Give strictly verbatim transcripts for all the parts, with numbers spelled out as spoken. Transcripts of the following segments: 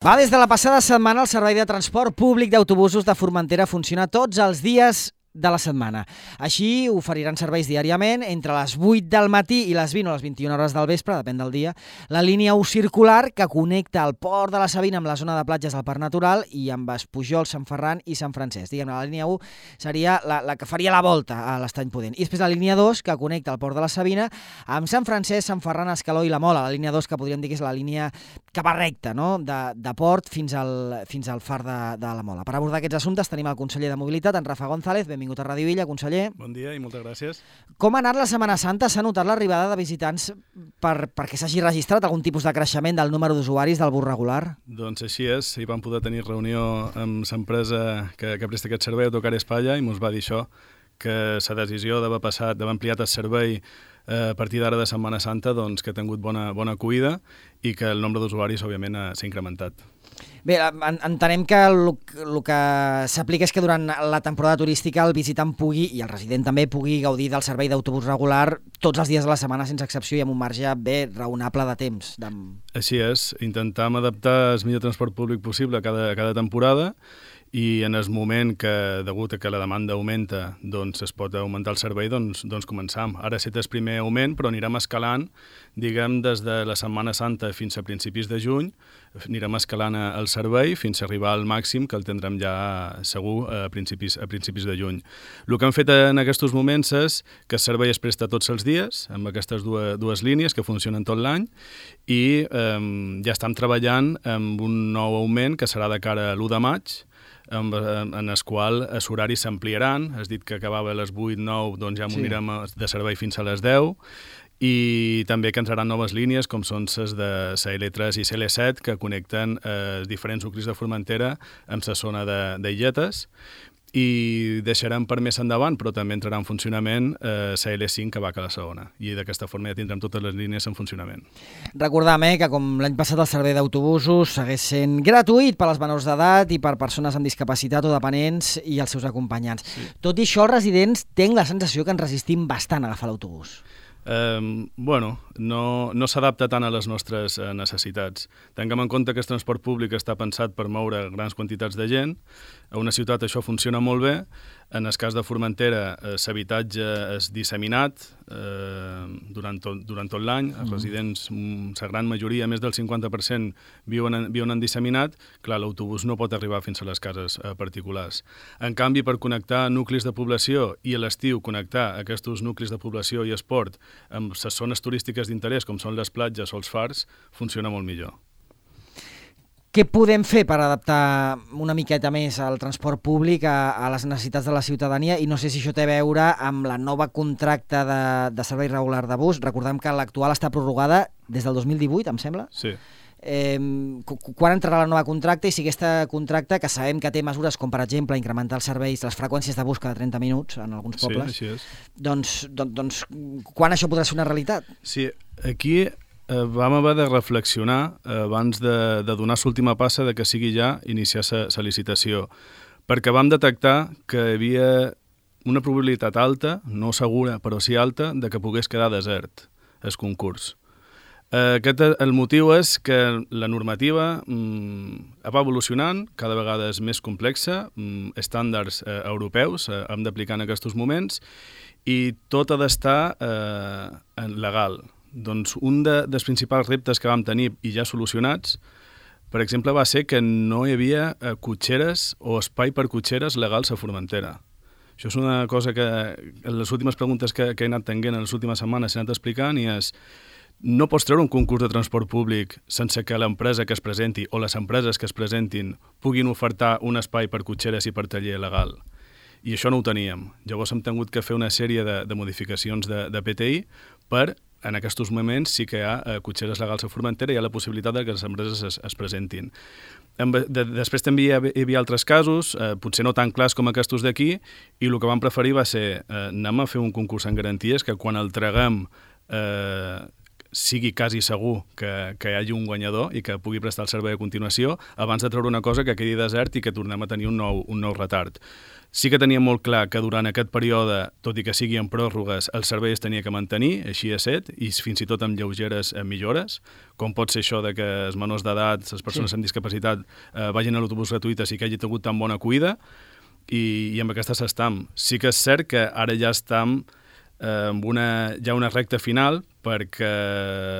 Va, des de la passada setmana el servei de transport públic d'autobusos de Formentera funciona tots els dies de la setmana. Així oferiran serveis diàriament entre les vuit del matí i les vint o les vint-i-una hores del vespre, depèn del dia, la línia u circular que connecta el port de la Sabina amb la zona de platges del Parc Natural i amb Espujol, Sant Ferran i Sant Francesc. Diguem-ne, la línia u seria la, la que faria la volta a l'Estany Pudent. I després la línia dos que connecta el port de la Sabina amb Sant Francesc, Sant Ferran, Escaló i la Mola. La línia dos que podríem dir que és la línia que va recta, no? de, de port fins al, fins al far de, de la Mola. Per abordar aquests assumptes tenim el conseller de Mobilitat, en Rafa González. Benvingut a Ràdio Villa, conseller. Bon dia i moltes gràcies. Com ha anat la Setmana Santa? S'ha notat l'arribada de visitants per, perquè s'hagi registrat algun tipus de creixement del número d'usuaris del bus regular? Doncs així és. Hi vam poder tenir reunió amb l'empresa que, que presta aquest servei, Autocar Espanya, i ens va dir això, que la decisió d'haver passat, d'haver ampliat el servei a partir d'ara de Setmana Santa, doncs, que ha tingut bona, bona acollida i que el nombre d'usuaris, òbviament, s'ha incrementat. Bé, entenem que el, el que s'aplica és que durant la temporada turística el visitant pugui, i el resident també, pugui gaudir del servei d'autobús regular tots els dies de la setmana sense excepció i amb un marge bé raonable de temps. De... Així és, intentam adaptar el millor transport públic possible a cada, a cada temporada i en el moment que, degut a que la demanda augmenta, doncs es pot augmentar el servei, doncs, doncs començam. Ara ha estat el primer augment, però anirem escalant, diguem, des de la Setmana Santa fins a principis de juny, anirem escalant el servei fins a arribar al màxim, que el tindrem ja segur a principis, a principis de juny. El que hem fet en aquests moments és que el servei es presta tots els dies, amb aquestes dues, dues línies que funcionen tot l'any, i eh, ja estem treballant amb un nou augment que serà de cara a l'u de maig, en, en el qual els horaris s'ampliaran. Has dit que acabava a les vuit nou, doncs ja m'ho anirem de servei fins a les deu, i també que entraran noves línies com són les de la L tres i la L set que connecten eh, diferents nuclis de Formentera amb la zona d'Illetes, i deixarem per més endavant, però també entrarà en funcionament eh, la L cinc que va a la segona, i d'aquesta forma ja tindrem totes les línies en funcionament. Recordam eh, que com l'any passat el servei d'autobusos segueix sent gratuït per als menors d'edat i per persones amb discapacitat o dependents i els seus acompanyants. Sí. Tot i això, els residents tenen la sensació que ens resistim bastant a agafar l'autobús. Eh, bueno, no, no s'adapta tant a les nostres eh, necessitats. Tinguem en compte que el transport públic està pensat per moure grans quantitats de gent. A una ciutat això funciona molt bé. En el cas de Formentera, l'habitatge és disseminat eh, durant tot, durant tot l'any. Els residents, la gran majoria, més del cinquanta per cent, viuen en, viuen en disseminat. Clar, l'autobús no pot arribar fins a les cases eh, particulars. En canvi, per connectar nuclis de població i a l'estiu connectar aquests nuclis de població i esport amb les zones turístiques d'interès, com són les platges o els fars, funciona molt millor. Què podem fer per adaptar una miqueta més el transport públic a, a les necessitats de la ciutadania? I no sé si això té a veure amb la nova contracte de, de servei regular de bus. Recordem que l'actual està prorrogada des del dos mil divuit, em sembla? Sí. Eh, quan entrarà la nova contracte i si aquesta contracte, que sabem que té mesures com, per exemple, incrementar els serveis, les freqüències de bus cada trenta minuts en alguns pobles, sí, així és. Doncs, doncs, doncs quan això podrà ser una realitat? Sí, aquí eh, vam haver de reflexionar eh, abans de, de donar l'última passa de que sigui ja iniciar la licitació, perquè vam detectar que hi havia una probabilitat alta, no segura, però sí alta, de que pogués quedar desert el concurs. Aquest, el motiu és que la normativa mm, va evolucionant, cada vegada és més complexa, mm, estàndards eh, europeus eh, hem d'aplicar en aquests moments, i tot ha d'estar eh, legal. Doncs un de, dels principals reptes que vam tenir i ja solucionats, per exemple, va ser que no hi havia eh, cotxeres o espai per cotxeres legals a Formentera. Això és una cosa que en les últimes preguntes que, que he anat tenint en les últimes setmanes he anat explicant, i és: no pots treure un concurs de transport públic sense que l'empresa que es presenti o les empreses que es presentin puguin ofertar un espai per cotxeres i per taller legal. I això no ho teníem. Llavors hem tingut que fer una sèrie de, de modificacions de, de P T I per, en aquests moments, sí que hi ha eh, cotxeres legals a Formentera i hi ha la possibilitat que les empreses es, es presentin. De, després també hi havia, hi havia altres casos, eh, potser no tan clars com aquests d'aquí, i el que vam preferir va ser eh, anem a fer un concurs en garanties que quan el traguem eh, sigui quasi segur que, que hi hagi un guanyador i que pugui prestar el servei a continuació abans de treure una cosa que quedi desert i que tornem a tenir un nou, un nou retard. Sí que teníem molt clar que durant aquest període, tot i que sigui en pròrrogues, el servei es tenia que mantenir, així ha estat, i fins i tot amb lleugeres eh, millores, com pot ser això de que els menors d'edat, les persones sí. amb discapacitat, eh, vagin a l'autobús gratuït i que hagi tingut tan bona cuida, i, i amb aquesta s'estam. Sí que és cert que ara ja estem eh, amb una, ja una recta final, perquè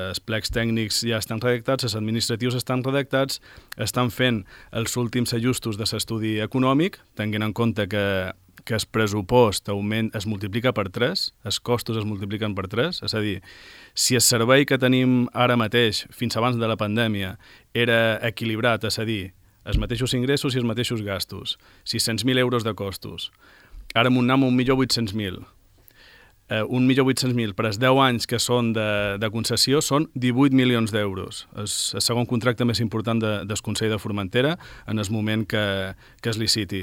els plecs tècnics ja estan redactats, els administratius estan redactats, estan fent els últims ajustos de l'estudi econòmic, tenint en compte que, que el pressupost augment, es multiplica per tres, els costos es multipliquen per tres, és a dir, si el servei que tenim ara mateix, fins abans de la pandèmia, era equilibrat, és a dir, els mateixos ingressos i els mateixos gastos, sis-cents mil euros de costos, ara amb un nom un milió vuit-cents mil, Uh, un milió vuit-cents mil per als deu anys que són de, de concessió són divuit milions d'euros. És el segon contracte més important de, del Consell de Formentera en el moment que, que es liciti.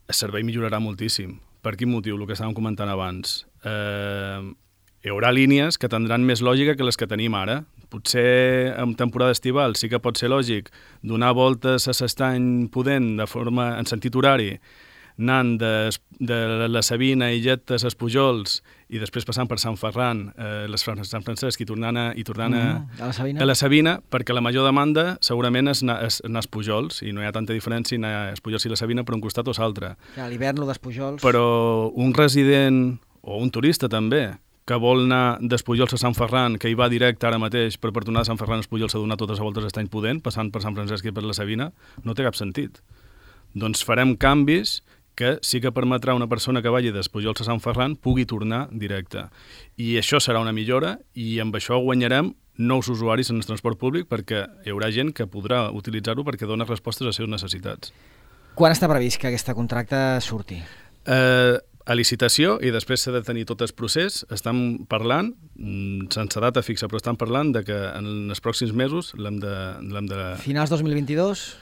El servei millorarà moltíssim. Per quin motiu? El que estàvem comentant abans. Uh, hi haurà línies que tindran més lògica que les que tenim ara. Potser en temporada estival sí que pot ser lògic donar voltes a l'estany Pudent de forma en sentit horari, anant de, de la Sabina i Lletes als Pujols i després passant per Sant Ferran, eh, les Sant Francesc i tornant, a, i tornant a, mm, a, la Sabina. a la Sabina, perquè la major demanda segurament és anar als Pujols, i no hi ha tanta diferència anar als Pujols i la Sabina per un costat o l'altre. A l'hivern lo dels Pujols. Però un resident, o un turista també, que vol anar dels Pujols a Sant Ferran, que hi va directe ara mateix per, per tornar a Sant Ferran als Pujols a donar totes les voltes a Estany Pudent, passant per Sant Francesc i per la Sabina, no té cap sentit. Doncs farem canvis que sí que permetrà a una persona que vagi dels Pujols a Sant Ferran pugui tornar directe. I això serà una millora i amb això guanyarem nous usuaris en el transport públic perquè hi haurà gent que podrà utilitzar-ho perquè dona respostes a les seves necessitats. Quan està previst que aquest contracte surti? Eh, a licitació i després s'ha de tenir tot el procés. Estem parlant, sense data fixa, però estem parlant de que en els pròxims mesos l'hem de, l'hem de... Finals dos mil vint-i-dos?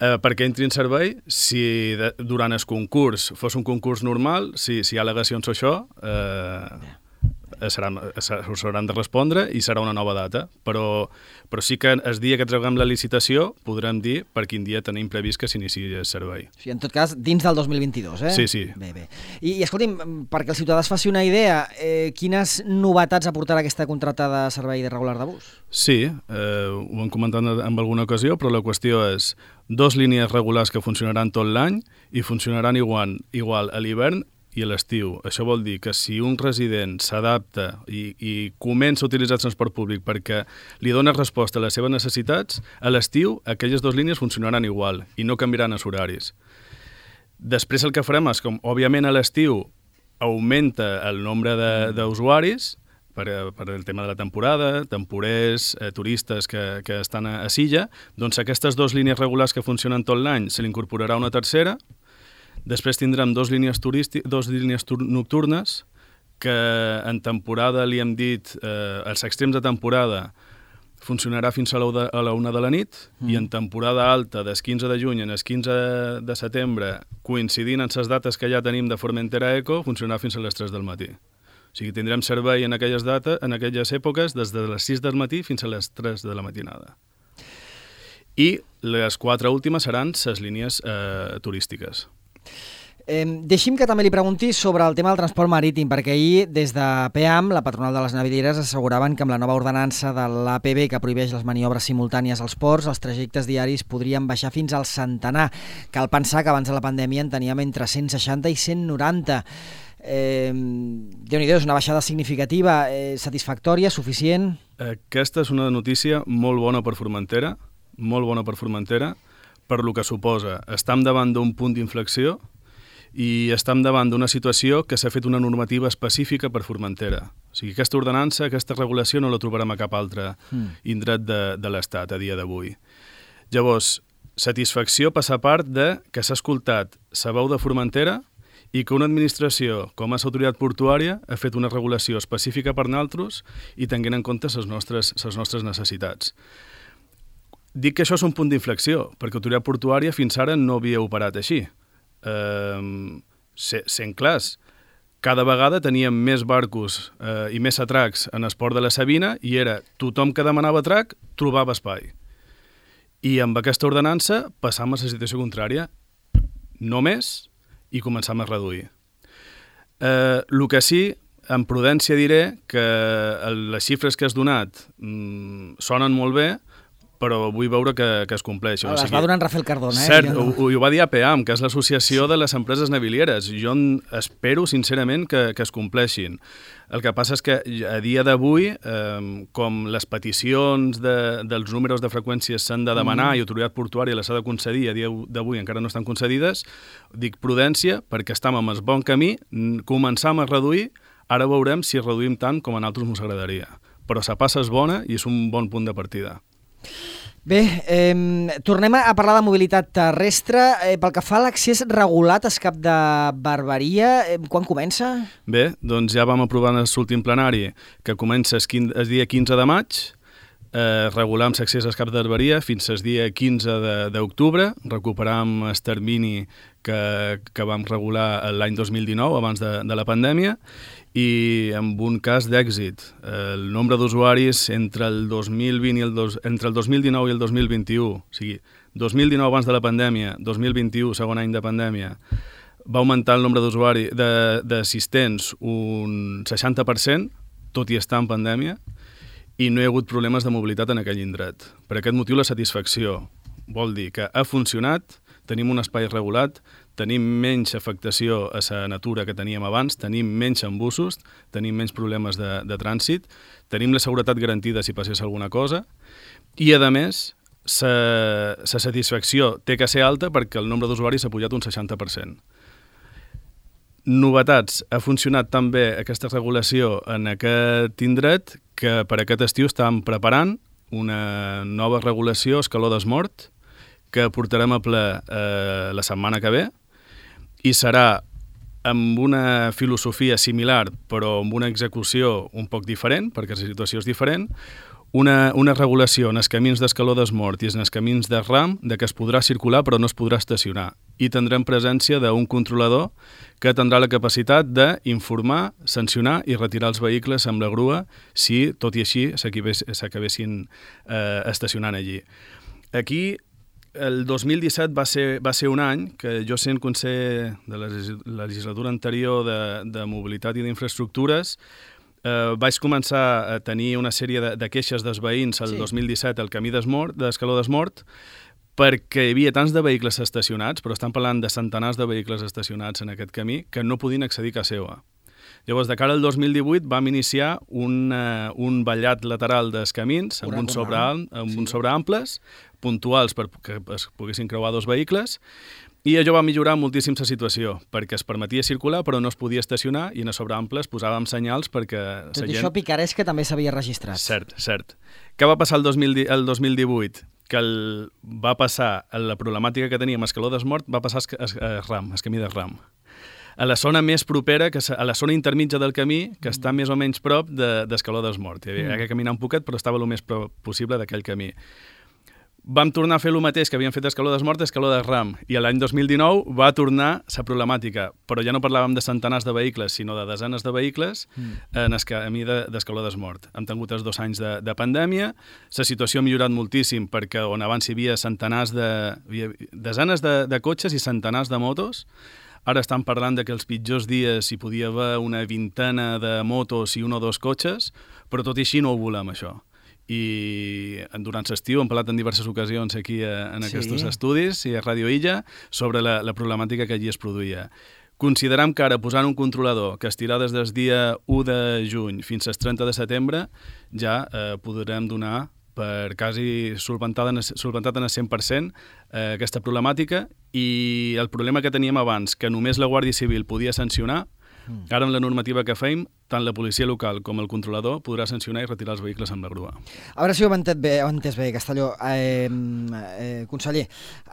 Eh, perquè entri en servei, si de, durant el concurs fos un concurs normal, si, si hi ha al·legacions o això, eh, seran, us hauran de respondre i serà una nova data. Però, però sí que el dia que traguem la licitació podrem dir per quin dia tenim previst que s'iniciï el servei. O sigui, en tot cas, dins del dos mil vint-i-dos, eh? Sí, sí. Bé, bé. I, i escolti'm, perquè el ciutadà es faci una idea, eh, quines novetats aportarà aquesta contracta de servei de regular de bus? Sí, eh, ho hem comentat en alguna ocasió, però la qüestió és dos línies regulars que funcionaran tot l'any i funcionaran igual, igual a l'hivern i a l'estiu. Això vol dir que si un resident s'adapta i, i comença a utilitzar el transport públic perquè li dona resposta a les seves necessitats, a l'estiu aquelles dues línies funcionaran igual i no canviaran els horaris. Després el que farem és, com òbviament a l'estiu augmenta el nombre d'usuaris per, per el tema de la temporada, temporers, eh, turistes que, que estan a, a Silla, doncs aquestes dues línies regulars que funcionen tot l'any se li incorporarà una tercera. Després tindrem dos línies, turísti- dos línies nocturnes que en temporada li hem dit, eh, als extrems de temporada funcionarà fins a la una de la nit mm. i en temporada alta, des quinze de juny en el quinze de setembre, coincidint amb les dates que ja tenim de Formentera Eco, funcionarà fins a les tres del matí. O sigui, tindrem servei en aquelles, data, en aquelles èpoques des de les sis del matí fins a les tres de la matinada. I les quatre últimes seran les línies eh, turístiques. Eh, deixi'm que també li pregunti sobre el tema del transport marítim, perquè ahir, des de P E A M, la patronal de les navieres, asseguraven que amb la nova ordenança de l'A P B que prohibeix les maniobres simultànies als ports, els trajectes diaris podrien baixar fins al centenar. Cal pensar que abans de la pandèmia en teníem entre cent seixanta i cent noranta. Eh, Déu-n'hi-do, és una baixada significativa, eh, satisfactòria, suficient? Aquesta és una notícia molt bona per Formentera, molt bona per Formentera, per lo que suposa. Estem davant d'un punt d'inflexió i estem davant d'una situació que s'ha fet una normativa específica per Formentera. O sigui, aquesta ordenança, aquesta regulació no la trobarem a cap altre mm. indret de, de l'Estat a dia d'avui. Llavors, satisfacció passa a part de que s'ha escoltat la veu de Formentera i que una administració com és l'autoritat portuària ha fet una regulació específica per nosaltres i tenint en compte les nostres, les nostres necessitats. Dic que això és un punt d'inflexió, perquè l'autoritat portuària fins ara no havia operat així. Eh, sent clars, cada vegada teníem més barcos eh, i més atracs en el port de la Sabina i era tothom que demanava atrac trobava espai. I amb aquesta ordenança passam a la situació contrària, no més, i començam a reduir. Eh, el que sí, en prudència diré que les xifres que has donat mm, sonen molt bé, però vull veure que, que es compleix. Les o sigui, va donar en Rafael Cardona. Eh? Cert, no. ho, ho va dir A P A M, que és l'Associació de les Empreses Navilieres. Jo espero, sincerament, que, que es compleixin. El que passa és que a dia d'avui, eh, com les peticions de, dels números de freqüències s'han de demanar mm. i autoritat portuària les ha de concedir, a dia d'avui encara no estan concedides, dic prudència, perquè estem en el bon camí, començam a reduir, ara veurem si reduïm tant com a nosaltres ens agradaria. Però la passa és bona i és un bon punt de partida. Bé, eh, tornem a parlar de mobilitat terrestre. Eh, pel que fa a l'accés regulat al Cap de Barberia, eh, quan comença? Bé, doncs ja vam aprovar en l'últim plenari que comença el dia quinze de maig, eh, regulam l'accés al Cap de Barberia fins al dia quinze d'octubre, recuperam el termini que, que vam regular l'any dos mil dinou, abans de, de la pandèmia, i amb un cas d'èxit. El nombre d'usuaris entre el dos mil vint i el dos, entre el dos mil dinou i el dos mil vint-i-u, o sigui, dos mil dinou abans de la pandèmia, dos mil vint-i-u, segon any de pandèmia, va augmentar el nombre d'usuaris, d'assistents un seixanta per cent, tot i estar en pandèmia, i no hi ha hagut problemes de mobilitat en aquell indret. Per aquest motiu la satisfacció vol dir que ha funcionat, tenim un espai regulat, tenim menys afectació a la natura que teníem abans, tenim menys embussos, tenim menys problemes de, de trànsit, tenim la seguretat garantida si passés alguna cosa, i a més, la satisfacció té que ser alta perquè el nombre d'usuaris ha pujat un seixanta per cent. Novetats, ha funcionat tan bé aquesta regulació en aquest indret que per aquest estiu estàvem preparant una nova regulació escaló d'esmort que portarem a ple eh, la setmana que ve, i serà amb una filosofia similar però amb una execució un poc diferent, perquè la situació és diferent, una, una regulació en els camins d'escaló d'esmort i en els camins de ram de que es podrà circular però no es podrà estacionar, i tindrem presència d'un controlador que tindrà la capacitat d'informar, sancionar i retirar els vehicles amb la grua si, tot i així, s'acabessin eh, estacionant allí. Aquí el dos mil disset va ser, va ser un any que jo, sent conseller de la legislatura anterior de, de mobilitat i d'infraestructures, eh, vaig començar a tenir una sèrie de, de queixes dels veïns el sí. dos mil disset al camí d'escaló d'esmort, perquè hi havia tants de vehicles estacionats, però estan parlant de centenars de vehicles estacionats en aquest camí, que no podien accedir a casa seva. Llavors, de cara al dos mil divuit vam iniciar un, uh, un ballat lateral dels camins amb uns sobre, amb sí. sobreamples puntuals perquè es poguessin creuar dos vehicles, i allò va millorar moltíssim la situació, perquè es permetia circular però no es podia estacionar, i en els sobreamples posàvem senyals perquè... Tot gent... això picarès que també s'havia registrat. Cert, cert. Què va passar el dos mil, el dos mil divuit? Que el, va passar, la problemàtica que teníem a escaló d'esmort va passar a, a ram, a camí de ram. A la zona més propera, que a la zona intermitja del camí, que està més o menys prop d'escaló de, d'esmort. Hi havia mm. que caminar un poquet, però estava el més prop possible d'aquell camí. Vam tornar a fer el mateix que havíem fet escaló d'esmort, escaló de ram, i l'any dos mil dinou va tornar la problemàtica, però ja no parlàvem de centenars de vehicles, sinó de desenes de vehicles mm. en el camí d'escaló d'esmort. Hem tingut els dos anys de, de pandèmia, la situació ha millorat moltíssim, perquè on abans hi havia centenars de... desenes de, de cotxes i centenars de motos. Ara estan parlant de que els pitjors dies hi podia haver una vintena de motos i un o dos cotxes, però tot i així no ho volem, això. I durant l'estiu hem parlat en diverses ocasions aquí en aquests sí. estudis i a Ràdio Illa sobre la, la problemàtica que allí es produïa. Consideram que ara, posant un controlador que estirà des del dia u de juny fins al trenta de setembre, ja eh, podrem donar per quasi solventat en el cent per cent eh, aquesta problemàtica, i el problema que teníem abans, que només la Guàrdia Civil podia sancionar, mm. ara amb la normativa que feim tant la policia local com el controlador podrà sancionar i retirar els vehicles amb la grua. A veure si ho hem entès bé, ho hem entès bé Castelló. Eh, eh, conseller,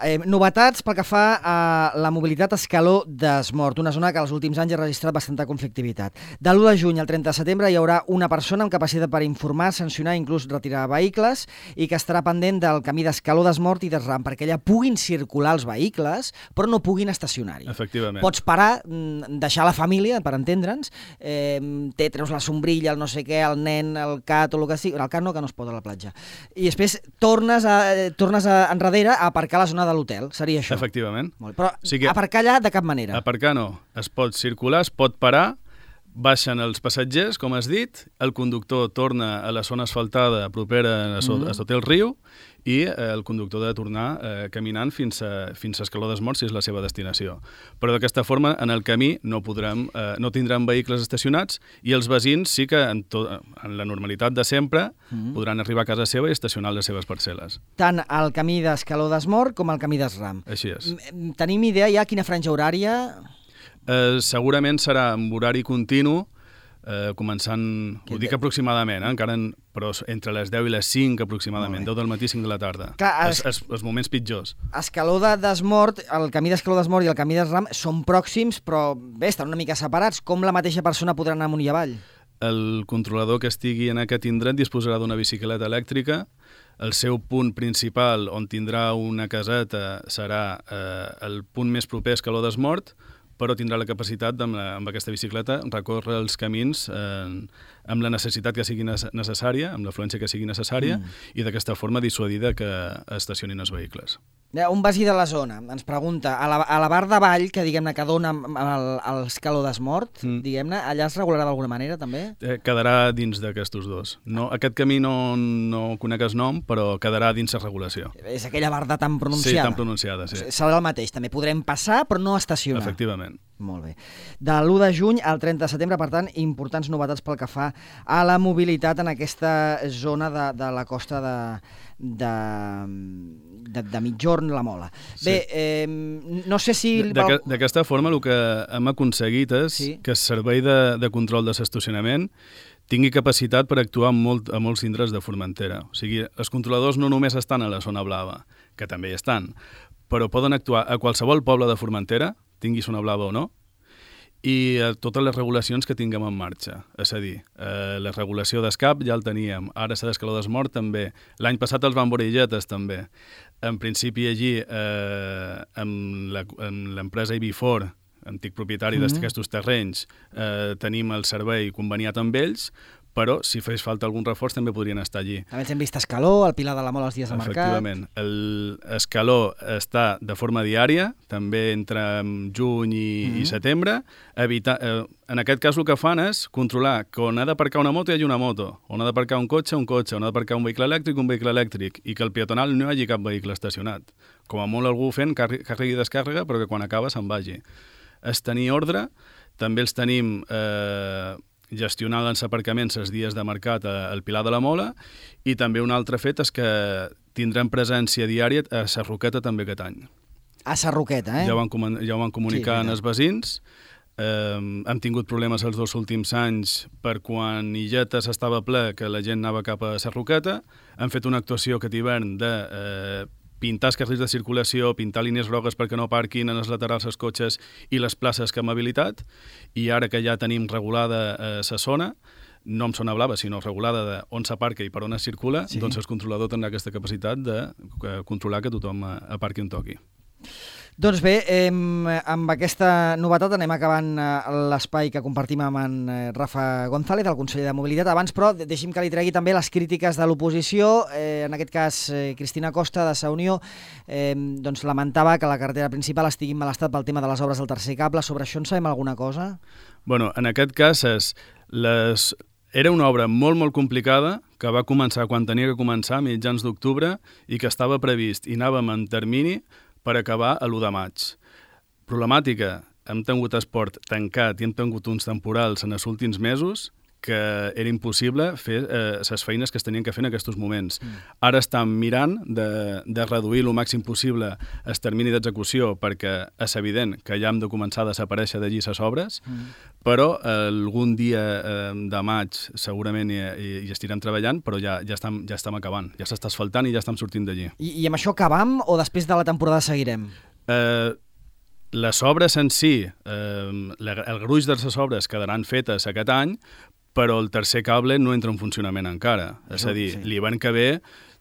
eh, novetats pel que fa a la mobilitat Escaló d'Esmort, una zona que els últims anys ha registrat bastanta conflictivitat. De l'u de juny al trenta de setembre hi haurà una persona amb capacitat per informar, sancionar i inclús retirar vehicles i que estarà pendent del camí d'Escaló d'Esmort i d'Esram perquè allà puguin circular els vehicles però no puguin estacionar-hi. Efectivament. Pots parar, deixar la família, per entendre'ns, eh, té, treus la sombrilla, el no sé què, el nen, el cat o el que sigui, el cat no, que no es pot a la platja. I després tornes, a, tornes a, enrere a aparcar a la zona de l'hotel, seria això? Efectivament. Molt bé. Però o sigui, aparcar allà de cap manera? Aparcar no, es pot circular, es pot parar, baixen els passatgers, com has dit, el conductor torna a la zona asfaltada propera a, so, mm-hmm. a sota el riu i eh, el conductor ha de tornar eh, caminant fins a, fins a Escaló d'Esmort si és la seva destinació. Però d'aquesta forma, en el camí no, podrem, eh, no tindran vehicles estacionats i els veïns sí que en, to, en la normalitat de sempre mm-hmm. podran arribar a casa seva i estacionar les seves parcel·les. Tant el camí d'Escaló d'Esmort com el camí d'Esram. Així és. Tenim idea ja quina franja horària? Eh, segurament serà amb horari continu, eh, començant, ho dic aproximadament, eh, encara en, però entre les deu i les cinc aproximadament, deu del matí, cinc de la tarda. Clar, es, es, els moments pitjors. Escaló d'Esmort, el camí d'Escaló d'Esmort i el camí d'Esram són pròxims, però bé, estan una mica separats. Com la mateixa persona podrà anar amunt i avall? El controlador que estigui en aquest indret disposarà d'una bicicleta elèctrica. El seu punt principal, on tindrà una caseta, serà eh, el punt més proper a Escaló d'Esmort, però tindrà la capacitat, amb, la, amb aquesta bicicleta, recórrer els camins eh, amb la necessitat que sigui necessària, amb l'afluència que sigui necessària, mm. i d'aquesta forma dissuadida que estacionin els vehicles. Un veí de la zona ens pregunta, a la, a la bar de Vall, que diguem-ne que dona al Escaló d'Esmort, mm. diguem-ne, allà es regularà d'alguna manera, també? Eh, quedarà dins d'aquests dos. No, aquest camí no, no conec el nom, però quedarà dins la regulació. És aquella barda tan pronunciada? Sí, tan pronunciada, sí. Serà el mateix, també podrem passar, però no estacionar. Efectivament. Molt bé. De l'u de juny al trenta de setembre, per tant, importants novetats pel que fa a la mobilitat en aquesta zona de, de la costa de, de, de, de Migjorn, la Mola. Sí. Bé, eh, no sé si... D'aquesta forma el que hem aconseguit és sí. que el servei de, de control de l'estacionament tingui capacitat per actuar en molt, a molts indrets de Formentera. O sigui, els controladors no només estan a la zona blava, que també hi estan, però poden actuar a qualsevol poble de Formentera, tingui zona blava o no, i a totes les regulacions que tinguem en marxa. És a dir, eh, la regulació d'escap ja el teníem, ara s'ha d'Escaló d'Esmort també, l'any passat els Bamboreilletes també. En principi allí, eh, amb l'empresa Ibifor, antic propietari mm-hmm. d'aquestos terrenys, eh, tenim el servei conveniat amb ells, però si fes falta algun reforç també podrien estar allí. També ens hem vist Escaló, el Pilar de la Mola els dies de mercat. Efectivament. L'Escaló està de forma diària, també entre juny i, mm-hmm. i setembre. Evitar, eh, en aquest cas el que fan és controlar que on ha d'aparcar una moto hi hagi una moto, on ha d'aparcar un cotxe, un cotxe, on ha d'aparcar un vehicle elèctric, un vehicle elèctric, i que el peatonal no hi hagi cap vehicle estacionat. Com a molt algú fent càrrega i descàrrega, però que quan acaba se'n vagi. És tenir ordre, també els tenim... Eh, gestionar els aparcaments els dies de mercat al Pilar de la Mola, i també un altre fet és que tindrem presència diària a Sarroqueta també aquest any. A Sarroqueta, eh? Ja ho van, ja ho van comunicar sí, als veïns. Eh, hem tingut problemes els dos últims anys per quan Illetes estava ple, que la gent anava cap a Sarroqueta. Hem fet una actuació aquest hivern de... Eh, pintar els carrils de circulació, pintar línies grogues perquè no parquin en els laterals els cotxes i les places que hem habilitat, i ara que ja tenim regulada la eh, zona, no amb zona blava, sinó regulada de on s'aparca i per on es circula, sí. doncs el controlador tindrà aquesta capacitat de controlar que tothom aparqui on toqui. Doncs bé, eh, amb aquesta novetat anem acabant eh, l'espai que compartim amb en eh, Rafa González, el conseller de Mobilitat. Abans, però, deixi'm que li tregui també les crítiques de l'oposició. Eh, en aquest cas, eh, Cristina Costa, de Sa Unió, eh, doncs lamentava que la carretera principal estigui en mal estat pel tema de les obres del tercer cable. Sobre això en sabem alguna cosa? Bueno, en aquest cas és... Les... Era una obra molt, molt complicada, que va començar quan tenia que començar, a mitjans d'octubre, i que estava previst i anàvem en termini per acabar a l'u de maig. Problemàtica, hem tingut esport tancat i hem tingut uns temporals en els últims mesos que era impossible fer les eh, feines que es tenien que fer en aquests moments. Mm. Ara estan mirant de, de reduir el màxim possible el termini d'execució, perquè és evident que ja hem de començar a desaparèixer d'allí les obres, mm. però eh, algun dia eh, de maig segurament hi, hi, hi estirem treballant, però ja, ja, estem, ja estem acabant, ja s'està asfaltant i ja estem sortint d'allí. I, I amb això acabam o després de la temporada seguirem? Eh, les obres en si, eh, el gruix de les obres quedaran fetes aquest any, però el tercer cable no entra en funcionament encara. És a dir, sí. L'hivern que ve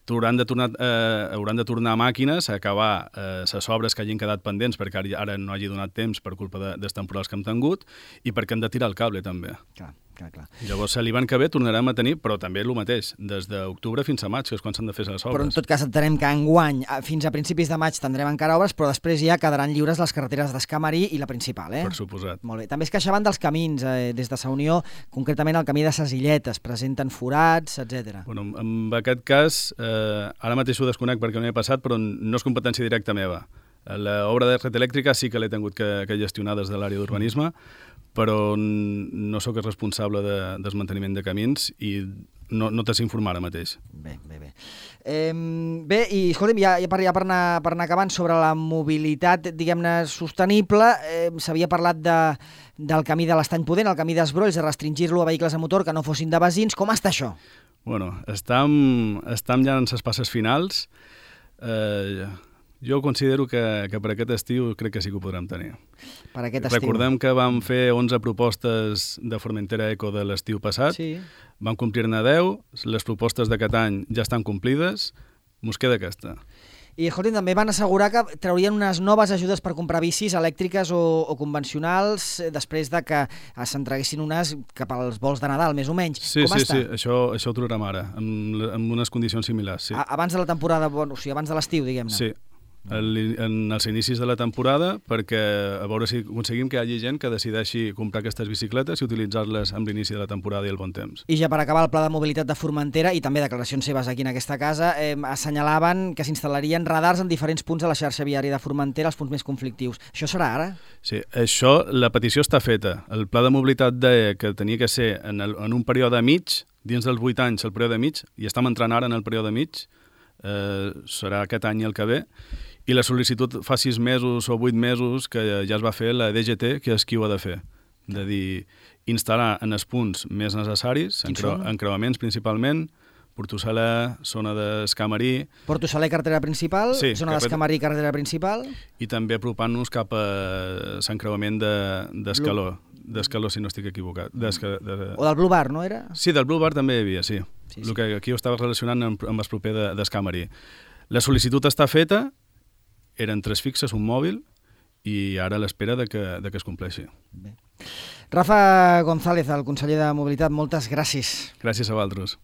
hauran de, tornar, eh, hauran de tornar màquines a acabar les eh, obres que hagin quedat pendents perquè ara no hagi donat temps per culpa de, dels temporals que hem tingut i perquè hem de tirar el cable també. Clar, clar, clar. Llavors l'hivern que ve tornarem a tenir, però també el mateix, des d'octubre fins a maig, que és quan s'han de fer les obres. Però en tot cas entenem que enguany, fins a principis de maig tindrem encara obres, però després ja quedaran lliures les carreteres d'Escamarí i la principal, eh? Per suposat. Molt bé. També es queixaven dels camins, eh, des de Sa Unió, concretament el camí de Ses Illetes, presenten forats, etcètera. Bueno, en aquest cas, eh, ara mateix ho desconec perquè no he passat, però no és competència directa meva. L'obra de red elèctrica sí que l'he tingut que, que gestionar des de l'àrea d'urbanisme, però no sóc el responsable de, del manteniment de camins i no, no te sé informar ara mateix. Bé, bé, bé. Eh, bé, i escolta'm, ja, ja, per, ja per, anar, per anar acabant sobre la mobilitat, diguem-ne, sostenible, eh, s'havia parlat de, del camí de l'Estany Pudent, el camí dels Brolls, de restringir-lo a vehicles a motor que no fossin de basins. Com està això? Bueno, estem, estem ja en les passes finals. Eh, jo considero que, que per aquest estiu crec que sí que ho podrem tenir. Per aquest estiu. Recordem que vam fer onze propostes de Formentera Eco de l'estiu passat, sí. Vam complir-ne deu, les propostes d'aquest any ja estan complides, mos queda aquesta. I, escolti, també van assegurar que traurien unes noves ajudes per comprar bicis elèctriques o, o convencionals després de que s'entreguessin unes cap als vols de Nadal, més o menys. Sí, Com sí, està? sí, això, això ho trobarem ara, amb, amb unes condicions similars. Sí. A, abans de la temporada, bueno, o sigui, abans de l'estiu, diguem-ne. Sí. En els inicis de la temporada, perquè a veure si aconseguim que hi hagi gent que decideixi comprar aquestes bicicletes i utilitzar-les amb l'inici de la temporada i el bon temps. I ja per acabar, el Pla de Mobilitat de Formentera i també declaracions seves aquí en aquesta casa eh, assenyalaven que s'instal·larien radars en diferents punts de la xarxa viària de Formentera, els punts més conflictius. Això serà ara? Sí, això, la petició està feta. El Pla de Mobilitat deia que tenia que ser en, el, en un període mig, dins dels vuit anys el període mig, i estem entrant ara en el període mig, eh, serà aquest any i el que ve, i la sol·licitud fa sis mesos o vuit mesos que ja es va fer la D G T, que és qui ho ha de fer. De dir, instal·lar en els punts més necessaris, encreu encreuaments principalment, Porto-Saler, zona d'Escamarí... Porto-Saler, carretera principal, sí, zona d'Escamarí, carretera principal... I també apropant-nos cap a l'encreuament d'Escaló, de, d'Escaló, si no estic equivocat. De, de... O del Blue Bar, no era? Sí, del Blue Bar també hi havia, sí. sí, sí. El que aquí ho estava relacionant amb, amb el proper d'Escamarí. La sol·licitud està feta, eren tres fixes, un mòbil, i ara a l'espera de, que, de que es compleixi. Bé. Rafa González, el conseller de Mobilitat, moltes gràcies. Gràcies a vosaltres.